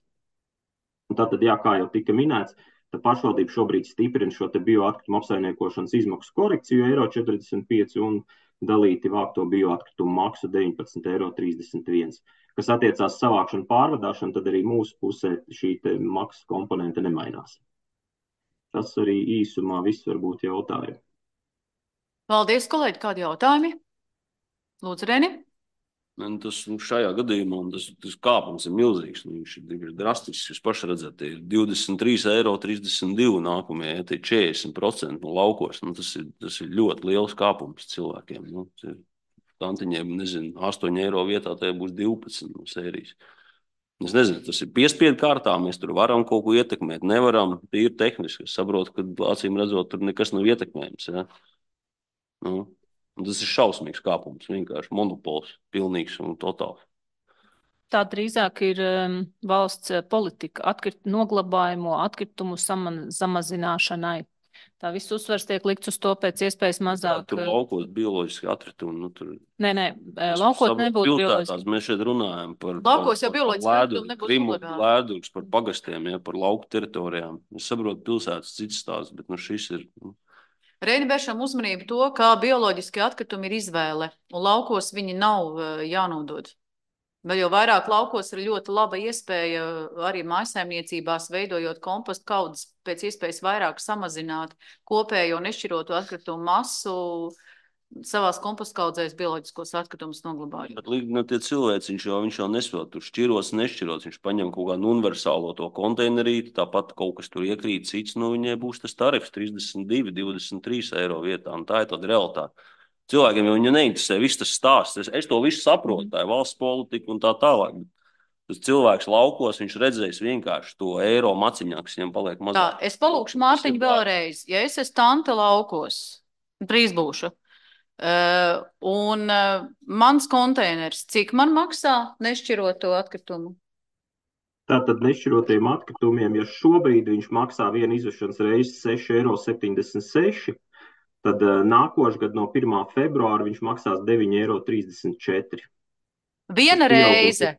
Un tātad, jā, kā jau tika minēts, tad pašvaldība šobrīd stiprina šo te bioatkritumu apsaimniekošanas izmaksu korekciju eiro četrdesmit pieci un dalīti vākto bioatkritumu maksu deviņpadsmit eiro trīsdesmit viens. Kas attiecās savākšanu pārvadāšanu, tad arī mūsu pusē šī te maksas komponente nemainās. Tas arī īsumā viss varbūt jautājumi. Paldies, kolēģi, kādi jautājumi? Lūdzu, Reni. Tas šajā gadījumā tas, tas kāpums ir milzīgs. Viņš ir drastisks. Jūs paši redzat, ir divdesmit trīs eiro trīsdesmit divi nākamie, ja tie četrdesmit procenti no laukos. Nu, tas, ir, tas ir ļoti liels kāpums cilvēkiem. Nu, tantiņiem, nezinu, astoņi eiro vietā tie būs divpadsmit no sērijas. Es nezinu, tas ir piespiedu kārtā, mēs tur varam kaut ko ietekmēt, nevaram, tīri tehniski. Es saprotu, ka acīm redzot, tur nekas nav ietekmējams. Ja? Nu, tas ir šausmīgs kāpums, vienkārši monopols, pilnīgs un totāls. Tā drīzāk ir um, valsts politika atkrit, noglabājumu atkritumu sama, samazināšanai. Tā viss uzsvars tiek likts uz to pēc iespējas mazāk. Jā, tur laukos bioloģiski atkritumi. Nu, tur... Nē, nē, laukos nebūtu bioloģiski. Mēs šeit runājam par, laukos jau par, bioloģiski lēdur, nebūtu krimu, obligāti. lēdurgs, par pagastiem, ja, par lauku teritorijām. Es saprotu pilsētas cits stāsts, bet nu, šis ir... Nu... Reini vēršam uzmanību to, kā bioloģiski atkritumi ir izvēle, un laukos viņi nav jānodod. Vēl jau vairāk laukos ir ļoti laba iespēja arī mājsaimniecībās veidojot kompostu kaudzes pēc iespējas vairāk samazināt kopējo nešķiroto atkritumu masu savās kompostu kaudzēs bioloģiskos atkritumus noglabājot. Bet līdz no tie cilvēci, viņš jau, viņš jau nesot, tur šķiros, nešķiros, viņš paņem kaut kādu universālo to konteinerīti, tāpat kaut kas tur iekrīt cits, nu viņai būs tas tarifs trīsdesmit divi, divdesmit trīs eiro vietā, un tā ir tāda realitāte. Cilvēkiem jau viņu neinteresē viss tas stāsts. Es, es to visu saprotu, tā ir valsts politika un tā tālāk. Tas cilvēks laukos, viņš redzēs vienkārši to eiro maciņā, kas viņam paliek mazāk. Tā, es palūkšu Mārtiņu vēlreiz. Ja es esmu tante laukos, drīz būšu, uh, un uh, mans konteiners, cik man maksā nešķiroto atkritumu? Tātad nešķirotiem atkritumiem, ja šobrīd viņš maksā vienu izvešanas reizi seši eiro septiņdesmit seši, tad uh, nākošais gads no pirmā februāra viņš maksās deviņi eiro trīsdesmit četri. Viena reize?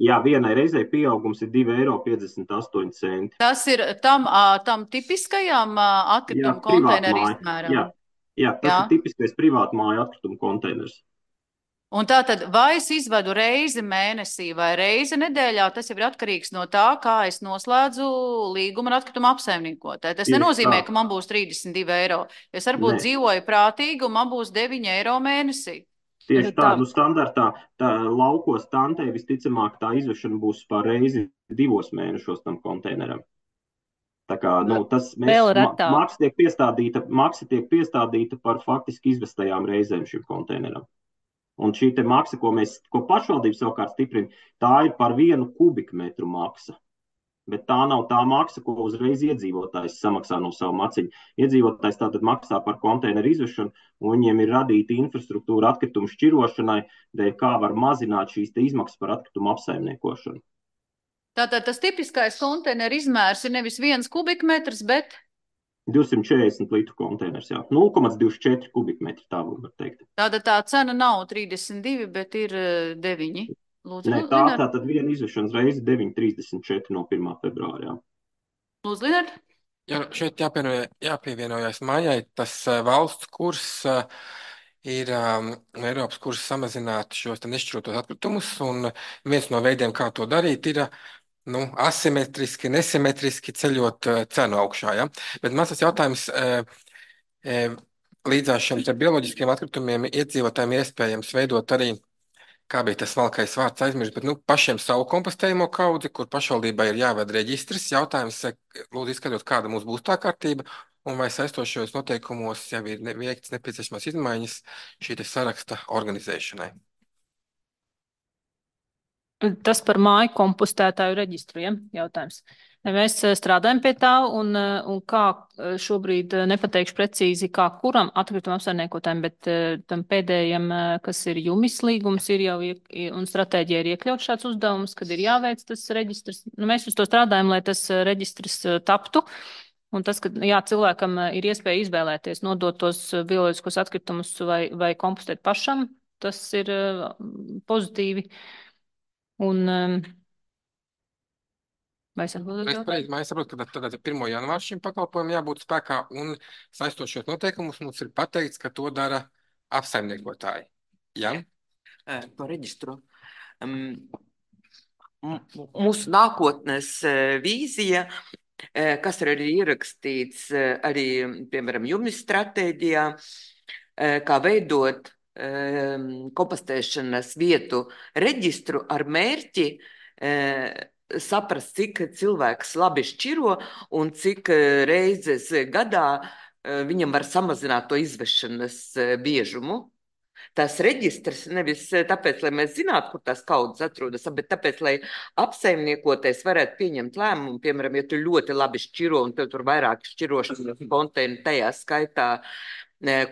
Jā, vienai reizei pieaugums ir divi eiro piecdesmit astoņi centi. Tas ir tam, tam tipiskajām atkritumu konteineru izmēram? Jā, jā, tas jā. ir tipiskais privātmāju atkritumu konteiners. Un tā tad, vai es izvedu reizi mēnesī vai reizi nedēļā, tas jau ir atkarīgs no tā, kā es noslēdzu līgumu ar atkritumu apsaimniekotāju. Tas nenozīmē, ka man būs trīsdesmit divi eiro. Es varbūt ne. dzīvoju prātīgi un man būs deviņi eiro mēnesī. Tieši tā, nu standartā tā laukos tantei visticamāk tā izvešana būs par reizi divos mēnešos tam konteineram. Tā kā, nu, tas mēs, ma, maksa tiek piestādīta, maksa tiek piestādīta par faktiski izvestajām reizēm šim konteineram. Un šī te maksa, ko mēs, ko pašvaldība savukārt stiprina, tā ir par vienu kubikmetru maksa. Bet tā nav tā maksa, ko uzreiz iedzīvotājs samaksā no savu maciņu. Iedzīvotājs tātad maksā par konteineru izvešanu, un viņiem ir radīta infrastruktūra atkritumu šķirošanai, dēļ kā var mazināt šīs te izmaksas par atkritumu apsaimniekošanu. Tātad tas tipiskais konteineru izmērs ir nevis viens kubikmetrs, bet... divsimt četrdesmit litru konteiners, jā. nulle komats divdesmit četri kubikmetri, tā var teikt. Tātad tā cena nav trīsdesmit divi, bet ir deviņi. Lūdzu, Nē, tā, tā tad viena izvešanas reize deviņi trīsdesmit četri no pirmā februāra. Lūdzu, Linard. Jā, šeit jāpievienojas Maijai, tas valsts kurs ir um, Eiropas kursi samazināt šos te nešķirotos atkritumus, un viens no veidiem, kā to darīt, ir nu, asimetriski, nesimetriski ceļot uh, cenu augšā. Ja? Bet mans tas jautājums, uh, uh, līdzās šiem te bioloģiskiem atkritumiem iedzīvotājiem ir iespējams veidot arī, kā bija tas smalkais vārds aizmirst, bet nu, pašiem savu kompostējumu kaudzi, kur pašvaldībai ir jāved reģistrs. Jautājums, lūdzu izskatot, kāda mums būs tā kārtība, un vai saistošos noteikumos jau ir ne, veikts nepieciešamās izmaiņas šī te saraksta organizēšanai. Tas par māju kompostētāju reģistru, ja? Jautājums. Mēs strādājam pie tā, un, un kā šobrīd nepateikšu precīzi, kā kuram atkrituma apsaimniekotājiem, bet tam pēdējiem, kas ir jumis līgums, ir jau, un stratēģija ir iekļaut šāds uzdevums, kad ir jāveic tas reģistrs. Nu, mēs uz to strādājam, lai tas reģistrs taptu, un tas, ka, jā, cilvēkam ir iespēja izvēlēties, nodot tos bioloģiskos atkritumus vai, vai kompostēt pašam, tas ir pozitīvi. Un, vai es atbildēju Es jautājumu? pareizi, es saprotu, ka tad pirmā janvāra šim pakalpojumam jābūt spēkā, un saistošos noteikumus mums ir pateikts, ka to dara apsaimniekotāji. Ja? Par reģistru. Um, mūsu nākotnes vīzija, kas ir arī ierakstīts arī, piemēram, jumis stratēģijā, kā veidot kompostēšanas vietu reģistru ar mērķi saprast, cik cilvēks labi šķiro un cik reizes gadā viņam var samazināt to izvešanas biežumu. Tas reģistrs nevis tāpēc, lai mēs zinātu, kur tās kaudzes atrodas, bet tāpēc, lai apsaimniekotais varētu pieņemt lēmumu, piemēram, ja tu ļoti labi šķiro un tev tur vairāk šķirošanas konteineru, tajā skaitā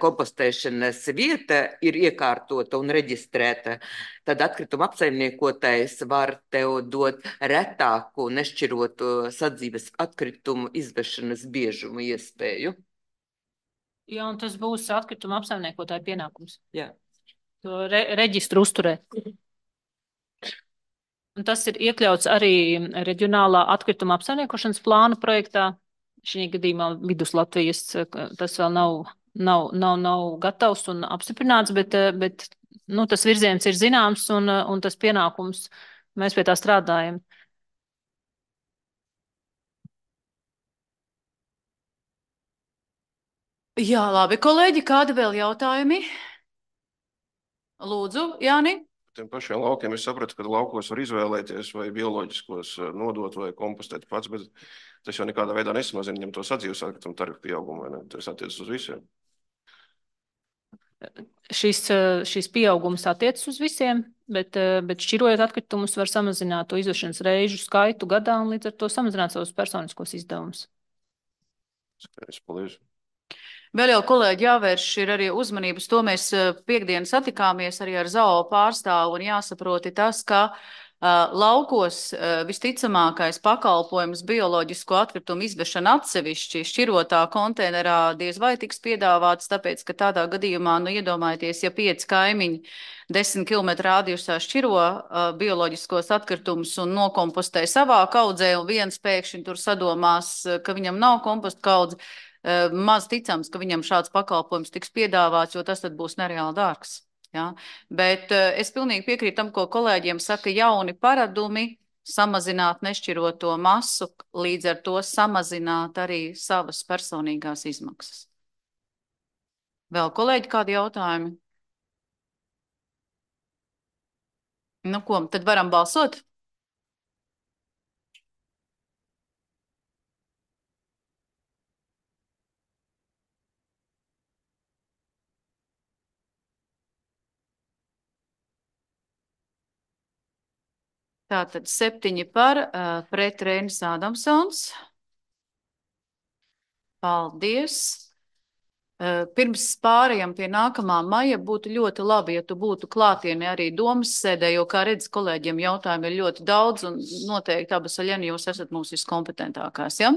kompostēšanas vieta ir iekārtota un reģistrēta, tad atkrituma apsaimniekotājs var tev dot retāku nešķirotu sadzīves atkritumu izvešanas biežumu iespēju. Jā, un tas būs atkrituma apsaimniekotāja pienākums. Jā. To re reģistru uzturēt. Un tas ir iekļauts arī reģionālā atkrituma apsaimniekošanas plāna projektā. Šī gadījumā Vidus Latvijas tas vēl nav, nav, nav, nav gatavs un apstiprināts, bet, bet nu, tas virziens ir zināms un, un tas pienākums, mēs pie tā strādājam. Jā, labi, kolēģi, kādi vēl jautājumi? Lūdzu, Jāni. Tiem pašiem laukiem es sapratu, ka laukos var izvēlēties vai bioloģiskos nodot vai kompostēt pats, bet tas jau nekādā veidā nesamazina viņam to sadzīves atkritumu tarifu pieaugumu, vai ne? Tas attiecas uz visiem. Šis, šis pieaugums attiecas uz visiem, bet, bet šķirojot atkritumus var samazināt to izvešanas reižu skaitu gadā un līdz ar to samazināt savus personiskos izdevumus. Skaidrs, paldies. Vēl jau, kolēģi, jāvērš ir arī uzmanības. To mēs piekdien satikāmies arī ar Z A O pārstāvu un jāsaproti tas, ka uh, laukos uh, visticamākais pakalpojums bioloģisko atkritumu izvešana atsevišķi šķirotā konteinerā diez vai tiks piedāvāts, tāpēc, ka tādā gadījumā, nu, iedomājieties, ja pieci kaimiņi desmit kilometru rādījusā šķiro uh, bioloģiskos atkritumus un nokompostē savā kaudzē, un viens pēkšņi tur sadomās, ka viņam nav kompostu kaudze, maz ticams, ka viņam šāds pakalpojums tiks piedāvāts, jo tas tad būs nereāli dārgs. Ja? Bet es pilnīgi piekrītu tam, ko kolēģiem saka, jauni paradumi samazināt nešķiroto masu, līdz ar to samazināt arī savas personīgās izmaksas. Vēl, kolēģi, kādi jautājumi? Nu ko, tad varam balsot? Tātad septiņi par, pret Reinis Ādamsons. Paldies. Pirms pārējām pie nākamā maija būtu ļoti labi, ja tu būtu klātienē arī domas sēdē, jo, kā redz, kolēģiem jautājumi ir ļoti daudz un noteikti abas Aļena, jūs esat mūsu viskompetentākās, ja?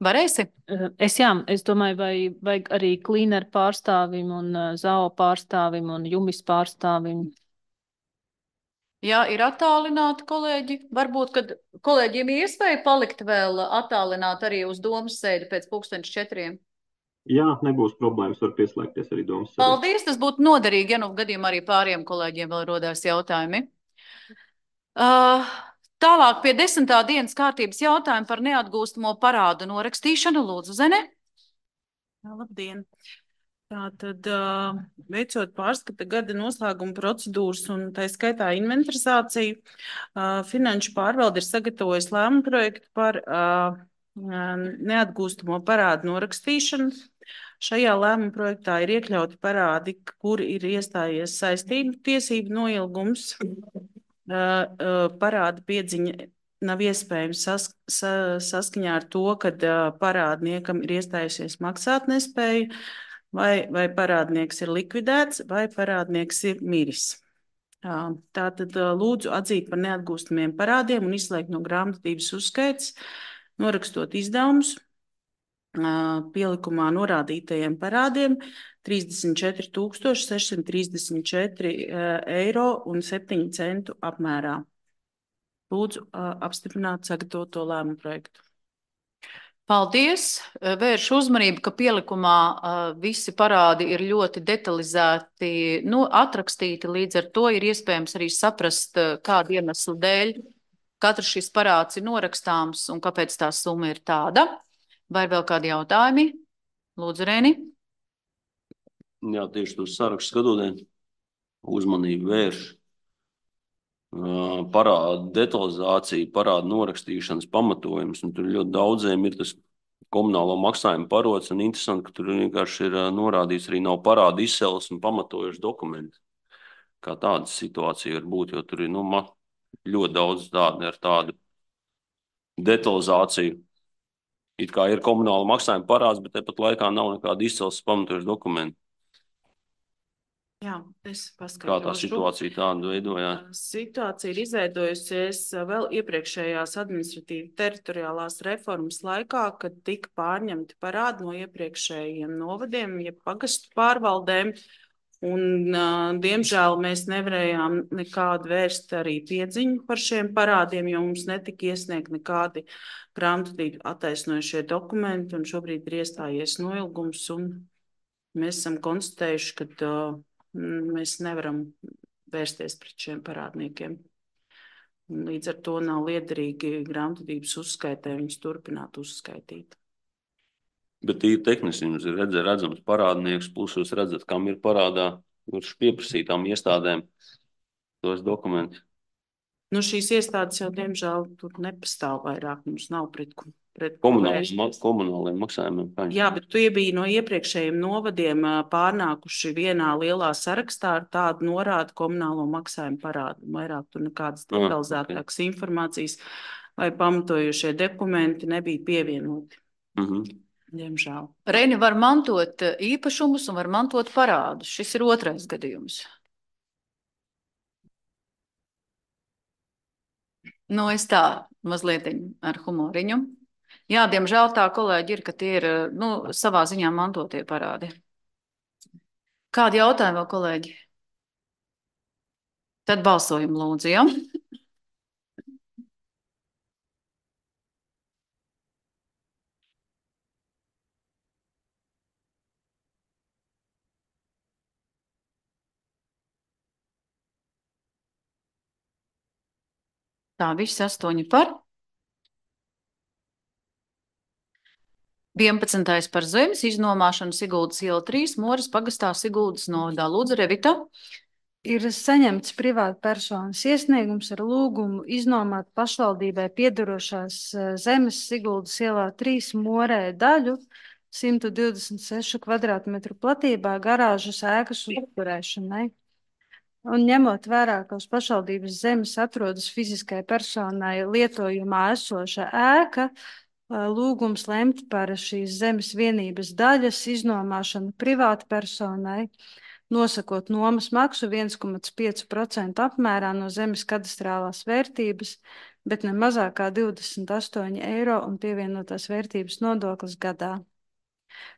Varēsi? Es jā, es domāju, vai vajag arī Cleaner pārstāvim un Z A O pārstāvim un Jumis pārstāvim. Jā, ir attālināti kolēģi. Varbūt, kad kolēģiem ir iespēja palikt vēl attālināt arī uz domas sēdi pēc pulksteņš četriem. Jā, nebūs problēmas, var pieslēgties arī domas sabiedrībai. Paldies, tas būtu noderīgi, ja nu gadījumā arī pāriem kolēģiem vēl rodās jautājumi. Uh, tālāk pie desmitā dienas kārtības jautājuma par neatgūstamo parādu norakstīšanu. Lūdzu, Zene. Jā, labdien! Tātad, uh, veicot pārskata gada noslēguma procedūras un tā skaitā inventarizāciju, uh, Finanšu pārvalde ir sagatavojis lēmumu projektu par uh, neatgūstamo parādu norakstīšanu. Šajā lēmuma projektā ir iekļauti parādi, kur ir iestājies saistību tiesību noilgums. Uh, uh, parāda piedziņa nav iespējams sas, sa, saskaņā ar to, ka uh, parādniekam ir iestājusies maksātnespēja, vai, vai parādnieks ir likvidēts, vai parādnieks ir miris. Uh, tātad uh, lūdzu atzīt par neatgūstamiem parādiem un izslēgt no grāmatvedības uzskaits, norakstot izdevumus uh, pielikumā norādītajiem parādiem trīsdesmit četri tūkstoši sešsimt trīsdesmit četri eiro un septiņu centu apmērā. Lūdzu, apstiprināt sagatavoto lēmumu projektu. Paldies! Vēršu uzmanību, ka pielikumā visi parādi ir ļoti detalizēti nu, atrakstīti, līdz ar to ir iespējams arī saprast, kādu iemeslu dēļ katrs šis parāds ir norakstāms un kāpēc tā summa ir tāda. Vai ir vēl kādi jautājumi? Lūdzu, Rēni. Jā, tieši tos sarakstu skatoties, uzmanību vērš. Parāda detalizācija, parāda norakstīšanas pamatojums, un tur ļoti daudziem ir tas komunālo maksājumu parods, un interesanti, ka tur vienkārši ir norādīts arī nav parāda izcelsmes un pamatojuši dokumenti. Kā tāda situācija var būt, jo tur ir nu, ļoti daudz tādu ar tādu detalizāciju. It kā ir komunāla maksājuma parāds, bet tepat laikā nav nekāda izcelsmes pamatojuši dokumenti. Jā, es paskaidrošu. Kā tā situācija tādu veidojās? Situācija ir izveidojusies vēl iepriekšējās administratīvi teritoriālās reformas laikā, kad tika pārņemti parādi no iepriekšējiem novadiem, jeb pagastu pārvaldēm. Un, diemžēl, mēs nevarējām nekādu vērst arī piedziņu par šiem parādiem, jo mums netika iesniegt nekādi grāmatvedību attaisnojušie dokumenti, un šobrīd ir iestājies noilgums, un mēs esam konstatējuši, ka uh, mēs nevaram vērsties pret šiem parādniekiem. Līdz ar to nav liederīgi grāmatvedības uzskaitē viņus turpināt uzskaitīt. Bet ir tehniski, jums ir redz, redzams parādnieks, plus jūs redzat, kam ir parādā, kurš pieprasītām iestādēm tos dokumentus. Nu, šīs iestādes jau, diemžēl, tur nepastāv vairāk, mums nav pret, pret komunāliem komunāliem maksājumiem. Paņem. Jā, bet tie bija no iepriekšējiem novadiem pārnākuši vienā lielā sarakstā ar tādu norādu komunālo maksājumu parādu. Vairāk tur nekādas detalizētākas ah, okay. informācijas vai pamatojušie dokumenti nebija pievienoti. Mhm. Diemžēl. Reini var mantot īpašumus un var mantot parādus. Šis ir otrais gadījums. Nu, es tā mazliet ar humoriņu. Jā, diemžēl tā kolēģi ir, ka tie ir nu, savā ziņā mantotie parādi. Kādi jautājumi vēl, kolēģi? Tad balsojam lūdzu, ja? Tā, visi astoņi par. vienpadsmitais par zemes iznomāšanu Siguldas iela trīs, Moras pagastā Siguldas novadā. Lūdzu, Revita. Ir saņemts privāta personas iesniegums ar lūgumu iznomāt pašvaldībai piedarošās zemes Siguldas ielā trīs Morē daļu simt divdesmit sešu kvadrātmetru platībā garāžas ēkas uzturēšanai. Un ņemot vērā, ka uz pašvaldības zemes atrodas fiziskai personai lietojumā esoša ēka, lūgums lemt par šīs zemes vienības daļas iznomāšanu privāta personai, nosakot nomas maksu viens komats pieci procenti apmērā no zemes kadastrālās vērtības, bet ne mazāk kā divdesmit astoņi eiro un pievienotās vērtības nodoklis gadā.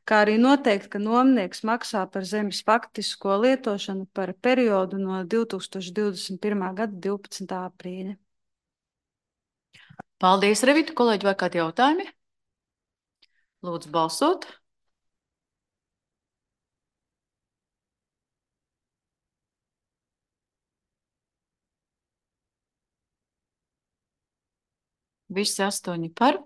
Kā arī noteikt, ka nomnieks maksā par zemes faktisko lietošanu par periodu no divi tūkstoši divdesmit pirmā gada divpadsmitā aprīļa. Paldies, Revita. Kolēģi, vai kādi jautājumi? Lūdzu balsot. Visi astoņi par.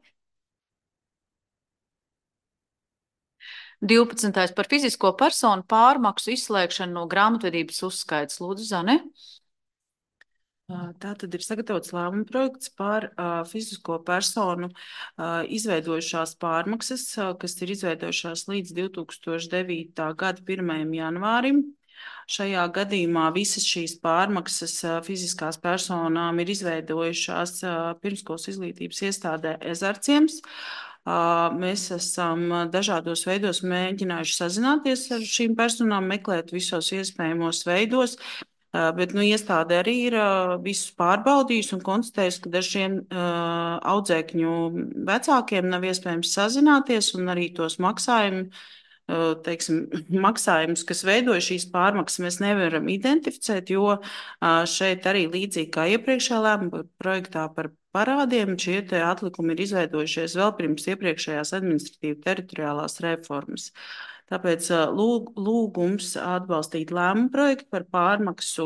divpadsmitais par fizisko personu pārmaksu izslēgšanu no grāmatvedības uzskaits. Lūdzu, Zane. Tā tad ir sagatavots lēmuma projekts par uh, fizisko personu uh, izveidojušās pārmaksas, uh, kas ir izveidojušās līdz divi tūkstoši devītā gada pirmajam janvārim. Šajā gadījumā visas šīs pārmaksas uh, fiziskās personām ir izveidojušās uh, pirmskolas izglītības iestādē Ezarciems. Uh, mēs esam dažādos veidos mēģinājuši sazināties ar šīm personām, meklēt visos iespējamos veidos. Uh, bet nu, iestāde arī ir uh, visus pārbaudījusi un konstatējusi, ka dažiem uh, audzēkņu vecākiem nav iespējams sazināties un arī tos maksājumu, uh, teiksim, maksājumus, kas veidoja šīs pārmaksas, mēs nevaram identificēt, jo uh, šeit arī līdzīgi kā iepriekšējā lēmuma projektā par parādiem, šie te atlikumi ir izveidojušies vēl pirms iepriekšējās administratīva teritoriālās reformas. Tāpēc lūg, lūgums atbalstīt lēmumu projektu par pārmaksu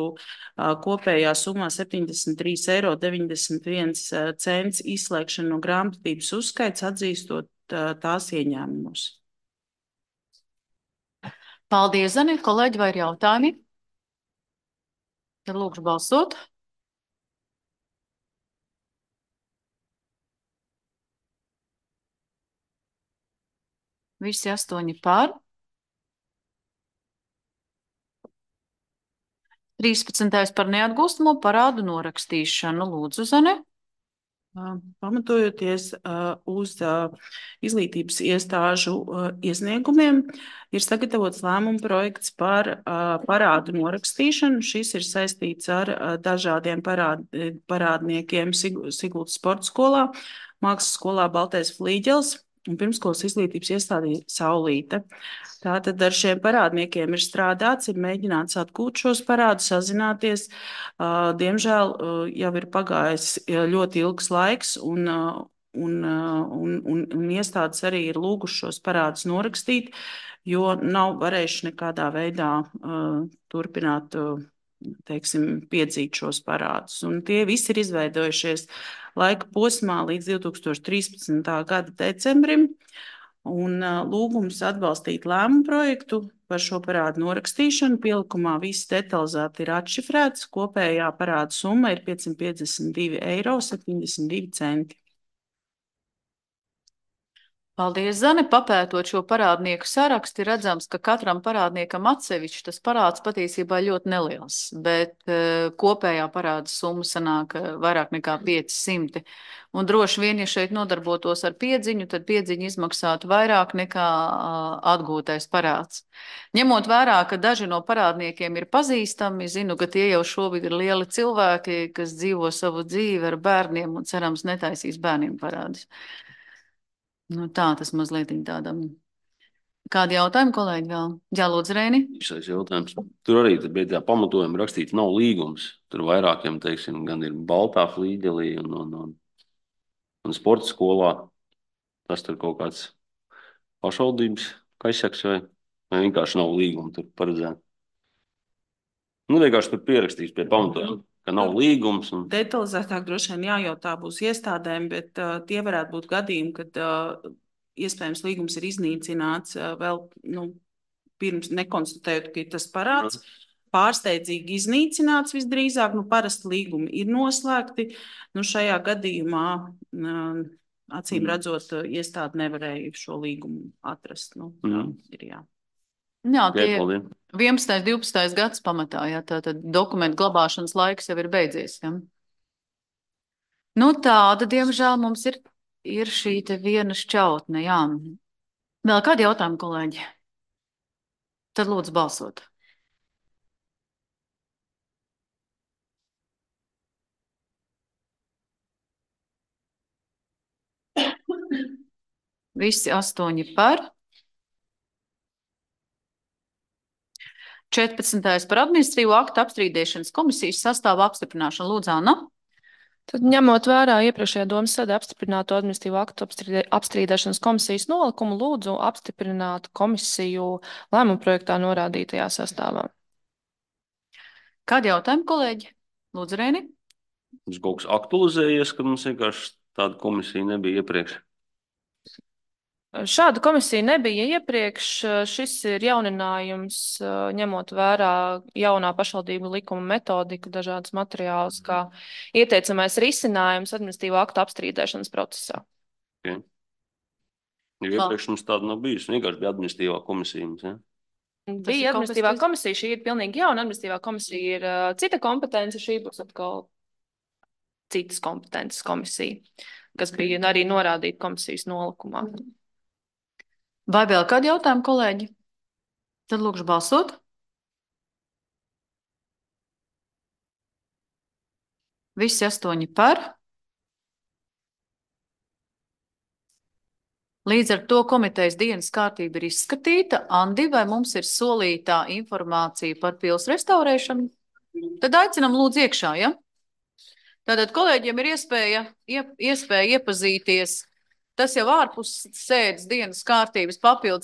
kopējā summā septiņdesmit trīs eiro deviņdesmit viens cents izslēgšanu no grāmatvedības uzskaits, atzīstot tās ieņēmumus. Paldies, Zani. Kolēģi, vai ir jautājumi? Tad lūkšu balsot. Visi astoņi par. trīspadsmitais par neatgūstamo parādu norakstīšanu. Lūdzu, Zane. Pamatojoties uh, uz uh, izglītības iestāžu uh, iesniegumiem, ir sagatavots lēmuma projekts par uh, parādu norakstīšanu. Šis ir saistīts ar uh, dažādiem parād, parādniekiem Sigultas sporta skolā, mākslas skolā Baltais Flīģels un pirmskolas izglītības iestādē Saulīte. Tātad ar šiem parādniekiem ir strādāts, ir mēģināts atgūt šos parādus, sazināties. Diemžēl jau ir pagājis ļoti ilgs laiks, un, un, un, un, un iestādes arī ir lūguši šos parādus norakstīt, jo nav varējuši nekādā veidā uh, turpināt, uh, teiksim, piedzīt šos parādus. Un tie visi ir izveidojušies laika posmā līdz divi tūkstoši trīspadsmitā gada decembrim. Un uh, lūgums atbalstīt lēmumu projektu par šo parādu norakstīšanu. Pielikumā viss detalizēti ir atšifrēts. Kopējā parāda summa ir piecsimt piecdesmit divi eiro septiņdesmit divi centi. Paldies, Zane. Papētot šo parādnieku sarakstu, ir redzams, ka katram parādniekam atsevišķi tas parāds patiesībā ļoti neliels, bet uh, kopējā parāda summa sanāk uh, vairāk nekā pieci simti. Un droši vien, ja šeit nodarbotos ar piedziņu, tad piedziņa izmaksātu vairāk nekā uh, atgūtais parāds. Ņemot vērā, ka daži no parādniekiem ir pazīstami, zinu, ka tie jau šobrīd ir lieli cilvēki, kas dzīvo savu dzīvi ar bērniem un cerams netaisīs bērniem parādus. Nu tā, tas mazliet tādam. Kādi jautājumi, kolēģi, vēl? Jā, lūdzu, Reini. Šais jautājums. Tur arī bija tā pamatojuma rakstīts, nav līgums. Tur vairākiem, teiksim, gan ir Baltā Flīģelī un, un, un, un sporta skolā. Tas tur kaut kāds pašvaldības kaisaks vai, vai vienkārši nav līguma tur paredzēt. Nu, vienkārši tur pierakstīs pie pamatojuma, ka nav līgums. Un... Detalizētāk droši vien jājautā būs iestādēm, bet uh, tie varētu būt gadījumi, kad uh, iespējams līgums ir iznīcināts uh, vēl nu, pirms nekonstatējot, ka ir tas parāds. Pārsteidzīgi iznīcināts visdrīzāk, nu parasti līgumi ir noslēgti. Nu, šajā gadījumā, uh, acīm redzot, uh, iestāde nevarēja šo līgumu atrast. Nu, tā ir jā. Jā, tie ir vienpadsmitais, divpadsmitais gads pamatā, jā, tātad dokumentu glabāšanas laiks jau ir beidzies, jā. Nu tāda, diemžēl, mums ir, ir šī te viena šķautne, jā. Vēl kādi jautājumi, kolēģi? Tad lūdzu balsot. Visi astoņi par. četrpadsmitais par administratīvo aktu apstrīdēšanas komisijas sastāvu apstiprināšanu. Lūdzu, Anna. Tad ņemot vērā iepriekšējā domas sēdē apstiprināto administratīvo aktu apstrīdēšanas komisijas nolikumu, lūdzu apstiprināt komisiju lēmumu projektā norādītajā sastāvā. Kādi jautājumi, kolēģi? Lūdzu, Reini. Mums kaut kas aktualizējies, ka mums vienkārši Tāda komisija nebija iepriekš. Šāda komisija nebija iepriekš. Šis ir jauninājums, ņemot vērā jaunā pašvaldību likuma metodiku, dažādas materiālus, kā ieteicamais risinājums administratīvo aktu apstrīdēšanas procesā. Okay. Jo iepriekš mums tāda nav bijusi. Vienkārši bija administratīvā komisija. Mums, ja? Bija administratīvā komisija, šī ir pilnīgi jauna. Administratīvā komisija ir uh, cita kompetence, šī būs atkal citas kompetences komisija, kas bija arī norādīta komisijas nolikumā. Vai vēl kādi jautājumi, kolēģi? Tad lūkšu balsot. Visi astoņi par. Līdz ar to komitejas dienas kārtība ir izskatīta. Andi, vai mums ir solītā informācija par pils restaurēšanu? Tad aicinam lūdzu iekšā, ja? Tātad kolēģiem ir iespēja, iep, iespēja iepazīties. Tas jau ārpus sēdes dienas kārtības papildus